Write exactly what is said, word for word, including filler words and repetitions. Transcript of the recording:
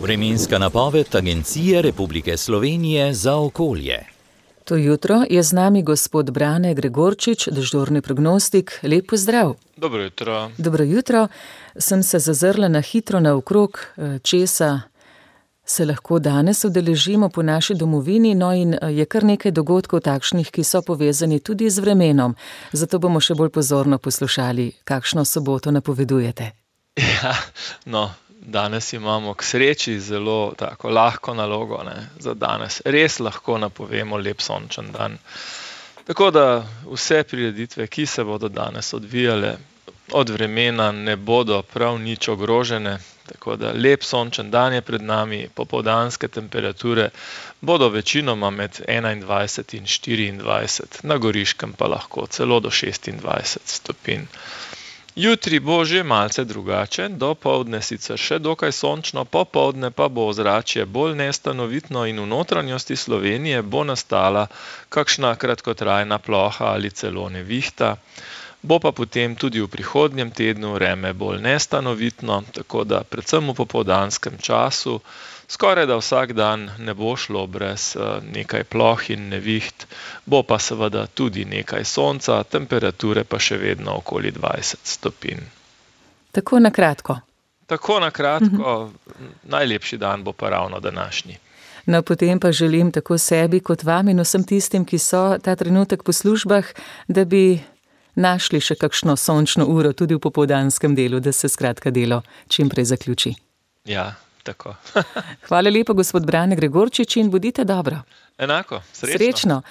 Vremenska napoved Agencije Republike Slovenije za okolje. To jutro je z nami gospod Brane Gregorčič, dežurni prognostik. Lep pozdrav. Dobro jutro. Dobro jutro. Sem se zazrla na hitro naokrog, česa se lahko danes udeležimo po naši domovini, no in je kar nekaj dogodkov takšnih, ki so povezani tudi z vremenom. Zato bomo še bolj pozorno poslušali, kakšno soboto napovedujete. Ja, no, danes imamo k sreči zelo tako lahko nalogo, ne, za danes. Res lahko napovemo lep sončen dan. Tako da vse prireditve, ki se bodo danes odvijale od vremena, ne bodo prav nič ogrožene. Tako da lep sončen dan je pred nami, popoldanske temperature bodo večinoma med enaindvajset in štiriindvajset, na Goriškem pa lahko celo do šestindvajset stopinj. Jutri bo že malce drugače, dopoldne sicer še dokaj sončno, popoldne pa bo ozračje bolj nestanovitno in v notranjosti Slovenije bo nastala kakšna kratkotrajna ploha ali celo nevihta. Bo pa potem tudi v prihodnjem tednu vreme bolj nestanovitno, tako da predvsem v popoldanskem času skoraj da vsak dan ne bo šlo brez nekaj ploh in neviht, bo pa seveda tudi nekaj sonca, temperature pa še vedno okoli dvajset stopinj. Tako na kratko. Tako na kratko, mhm. Najlepši dan bo pa ravno današnji. No, potem pa želim tako sebi kot vam in vsem tistim, ki so ta trenutek po službah, da bi našli še kakšno sončno uro tudi v popoldanskem delu, da se skratka delo čim prej zaključi. Ja, tako. Hvala lepa, gospod Brane Gregorčič, in bodite dobro. Enako, srečno. Srečno.